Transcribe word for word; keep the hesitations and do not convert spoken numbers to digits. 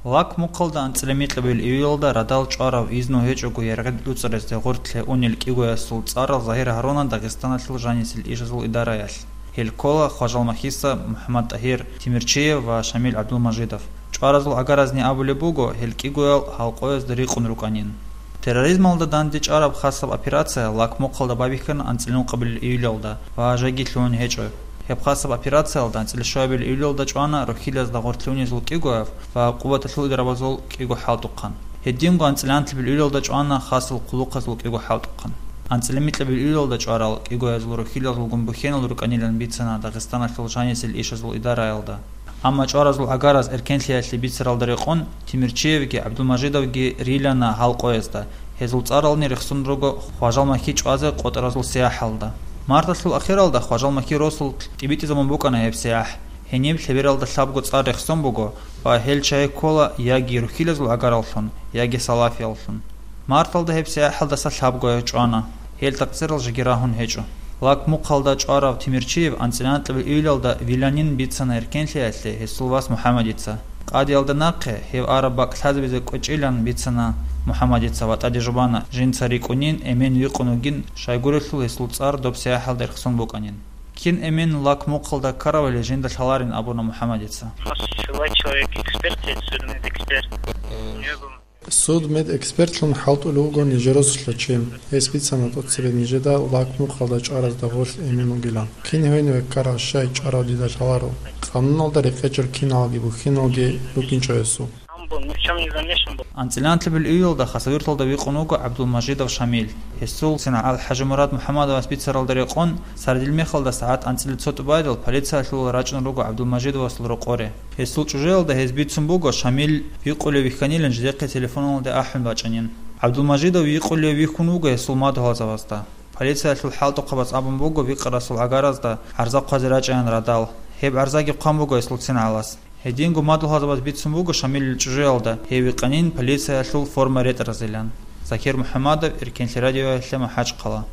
Лак мухъалда анцӀила микьабил июлалда радал чӀварав, изну гьечӀого яргъи луцӀарасде гъорлъе унел кӀигоясул цӀарал Загьир Гьарунан Дагъистаналъул жанисел ишазул идараялъ. Гьел ккола Хважалмахьиса МухӀаммад-ТӀагьир Тимирчиев ва Шамил ГӀабдулмажидов. ЧӀваразул гӀагаразни абулеб буго, гьел кӀигоял гьалкъоязда рикъун рукӀанин. Терроризмалда дандечӀвараб хасаб операция Лак мухъалда байбихьана анцӀила микьабил июлалда ва жеги лъугьун гьечӀо. Гьеб хасаб операциялда анцӀила щуабил июлалда чӀвана рухьилазда гъорлъе унезул кӀигояв ва къуваталъул идрабазул кӀиго хӀалтӀухъан. Гьединго анцӀила анлъабил июлалда чӀвана хасал хъулухъазул кӀиго хӀалтӀухъан. АнцӀила микьабил июлалда чӀварал кӀигоязул рухьилазулгун бухьенал рукӀанилан бицана Дагъистаналъул жанисел ишазул идараялда. Амма чӀваразул гӀагараз эркенлъиялъе бицаралда рекъон Тимирчиевги ГӀабдулмажидовги рилана гьалкъоязда, гьезул цӀарални рехсон руго Хважалмахьи чӀвазе къотӀаразул сияхӀалда. Марталъул ахиралда Хважалмахьи росулъ тӀибитӀизабун букӀана гьеб сияхӀ. Гьениб лъебералда лъабго цӀар рехсон буго ва гьел чагьи ккола яги рухьилазул гӀагараллъун, яги салафияллъун. Марталда гьеб сияхӀалдаса лъабгояв чӀвана. Гьел такъсирал жеги рагьун гьечӀо. Лак мухъалда чӀварав Тимирчиев анцӀила анлъабил июлалда виланин бицана эркенлъиялъе гьесул вас МухӀаммадица. Къадиялда нахъе гьев араб бакӀ лъазабизе кӀвечӀилан бицана МухӀаммадица ва тӀаде жубана жинца рикӀкӀунин, эмен викъун вугин, щайгурелъул гьесул цӀар доб сияхӀалда рехсон букӀанин. Кин эмен Лак мухъалда ккаравали жинда лъаларин абуна МухӀаммадица. У нас свой человек эксперт, есть судмедэксперт. У него был Судмедэкспертлъун хӀалтӀулев вуго нижер росулъа чи. Гьес бицана тӀоцебе нижеда Лак мухъалда чӀваразда гъорлъ эмен вугилан. Кин гьевин веккарав, щай чӀварав дида лъаларо. Къануналда рекъечӀел киналги бухьиналги букӀинчӀо гьесул. Сам был, ни в чем не замешан был. АнцӀила анлъабил июлалда Хасавюрталда викъун вуго ГӀабдулмажидов Шамил. Гьесул цин ГӀалхӀажимурад МухӀаммадовас бицаралда рекъон, сардил мехалда сагӀат анцӀила цо тӀубайдал полициялъул рачӀун руго ГӀабдулмажидовасул рокъоре. Гьесул чӀужуялда гьез бицун буго Шамил викъулев вихьанилан жидехъе телефоналде ахӀун бачӀанин. ГӀабдулмажидов викъулев вихьун вуго гьесул мадугьалзабазда. Полициялъул хӀалтӀухъабаз абун буго викъарасул гӀагаразда гӀарза хъвазе рачӀайин радал. Гьеб гӀарзаги хъван буго гьесул цин гӀалас. Гьединго мадугьалзабаз бицун буго Шамилил чӀужуялда гьев вихьанин полициялъул форма ретӀаразилан. Закир МухӀаммадов, Эркенлъи радиоялъе, МахӀачхъала.